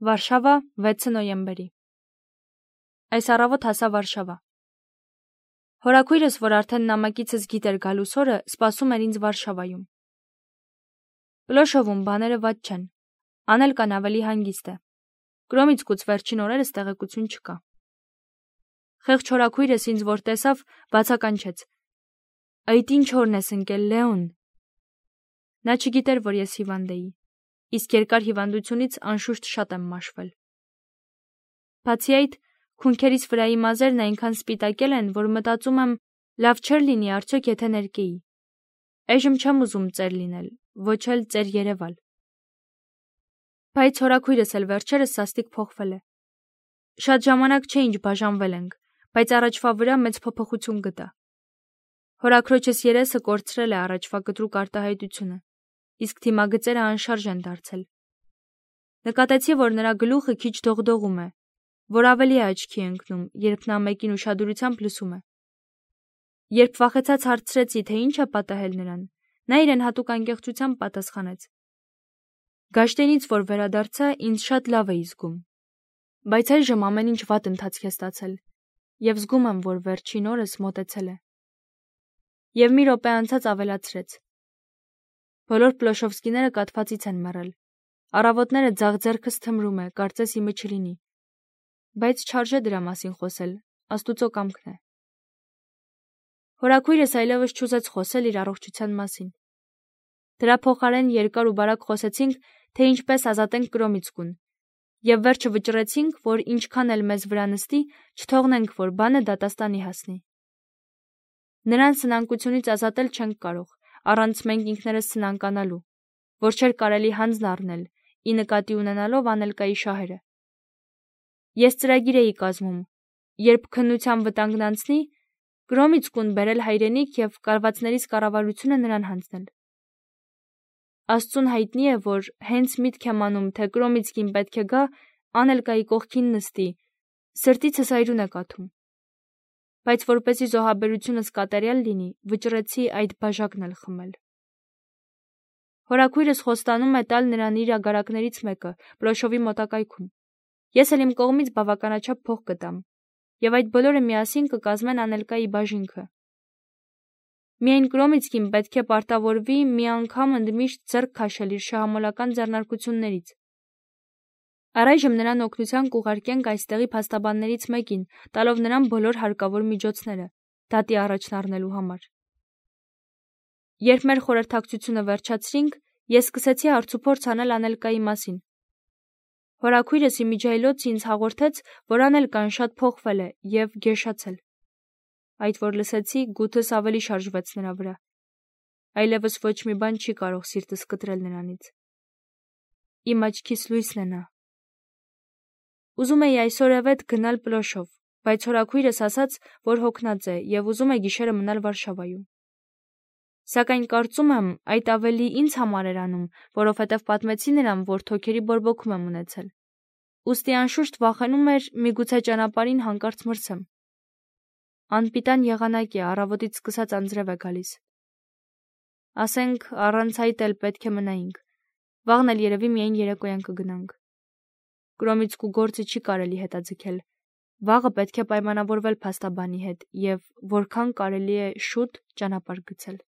Վարշավա 6 նոյեմբերի։ Այս առավոտ հասա Վարշավա։ Հորաքույրս, որ արդեն նամակիցս գիտեր գալուս օրը, սպասում էր ինձ Վարշավայում։ Պլոշովում բաները վատ չեն, Անելկան ավելի հանգիստ է։ Կրոմիցկուց վերջին օրերս տեղեկություն չկա։ Խեղճ հորաքույրս ինձ որ տեսավ, բացականչեց. «Այդ ինչ օրն ես ընկել, Լեոն»։ Նա չգիտեր, որ ես հիվանդ էի, իսկ երկար հիվանդությունից անշուշտ շատ եմ մաշվել։ Բացի այդ, քունքերիս վրայի մազերն այնքան սպիտակել են, որ մտածում եմ, լավ չէր լինի արդյոք եթե ներկեի։ Այժմ չեմ ուզում ծեր լինել, ոչ էլ ծեր երևալ։ Բայց հորաքույրս էլ վերջերս սաստիկ փոխվել է։ Շատ ժամանակ չէ ինչ բաժանվել ենք, բայց առաջվա վրա մեծ փոփոխություն գտա։ Հորաքրոջս երեսը կորցրել է առաջվա կտրուկ արտահայտությունը, իսկ թիմագծերը անշարժ են դարձել։ Նկատեցի, որ նրա գլուխը քիչ դողդողում է, որ ավելի է աչքի ընկնում, երբ նա մեկին ուշադրությամբ լսում է։ Երբ վախեցած հարցրեցի, թե ինչ է պատահել նրան, նա իրեն հատուկ անկեղծությամբ պատասխանեց. «Գաշտենից որ վերադարձա, ինձ շատ լավ էի զգում, բայց այժմ ամեն ինչ վատ ընթացք է ստացել, եւ զգում եմ, որ վերջին օրս մոտեցել է»։ Եվ մի րոպե անցած ավելացրեց. «Բոլոր Պլոշովսկիները կաթվածից են մեռել, առավոտները ձախ ձեռքս թմրում է, կարծես իմը չլինի, բայց չարժե դրա մասին խոսել, Աստուծո կամքն է»։ Հորաքույրս այլևս չուզեց խոսել իր առողջության մասին։ Դրա փոխարեն երկար ու բարակ խոսեցինք, թե ինչպես ազատենք Կրոմիցկուն, եւ վերջը վճռեցինք, որ ինչքան էլ մեզ վրա նստի, չթողնենք, որ բանը դատաստանի հասնի։ Նրան սնանկությունից ազատել չենք կարող, առանց մենք ինքներս սնանկանալու, որ չէր կարելի հանձն առնել, ի նկատի ունենալով Անելկայի շահերը։ Ես ծրագիր էի կազմում, երբ քննության վտանգն անցնի, Կրոմիցկուն բերել հայրենիք եւ կալվածներիս կառավարությունը նրան հանձնել։ Աստծուն հայտնի է, որ հենց միտք եմ անում, թե Կրոմիցկին պետք է գա, Անելկայի կողքին նստի, սրտիցս այրուն է կաթում։ Բայց որպեսզի զոհաբերությունս կատարյալ լինի, վճռեցի այդ բաժակն էլ խմել։ Հորաքույրս խոստանում է տալ նրան իր ագարակներից մեկը, Պլոշովի մոտակայքում։ Ես էլ իմ կողմից բավականաչափ փող կտամ, եւ այդ բոլորը միասին կկազմեն Անելկայի բաժինքը։ Միայն Կրոմիցկին պետք է պարտավորվի մի անգամ ընդմիշտ ձեռք քաշել իր շահամոլական ձեռնարկություններից։ Առայժմ նրան օգնության կուղարկենք այստեղի փաստաբաններից մեկին, տալով նրան բոլոր հարկավոր միջոցները, դատի առաջն առնելու համար։ Երբ մեր խորհրդակցությունը վերջացրինք, ես սկսեցի հարցուփորձ անել Անելկայի մասին։ Հորաքույրս իմիջիայլոց ինձ հաղորդեց, որ Անելկան շատ փոխվել է եւ գերշացել։ Այդ որ լսեցի, գութս ավելի շարժվեց նրա վրա։ Այլևս ոչ մի բան չի կարող սիրտս կտրել նրանից։ Իմ աչքիս լույսն է նա։ Ուզում էի այսօրևետ գնալ Պլոշով, բայց հորաքույրս ասաց, որ հոգնած է եւ ուզում է գիշերը մնալ Վարշավայում։ Սակայն կարծում եմ, այդ ավելի ինձ համար էր անում, որովհետև պատմեցի նրան, որ թոքերի բորբոքում եմ ունեցել։ Ուստի անշուշտ վախենում էր միգուցե ճանապարհին հանկարծ մրցեմ։ Անպիտան եղանակ է, առավոտից սկսած անձրև է գալիս։ Ասենք, առանց այդ էլ պետք է մնայինք։ Վաղն էլ երևի միայն երեկոյան կգնանք։ Կրոմիցկու գործը չի կարելի հետաձգել։ Վաղը պետք է պայմանավորվել փաստաբանի հետ եւ որքան կարելի է շուտ ճանապարհ գցել։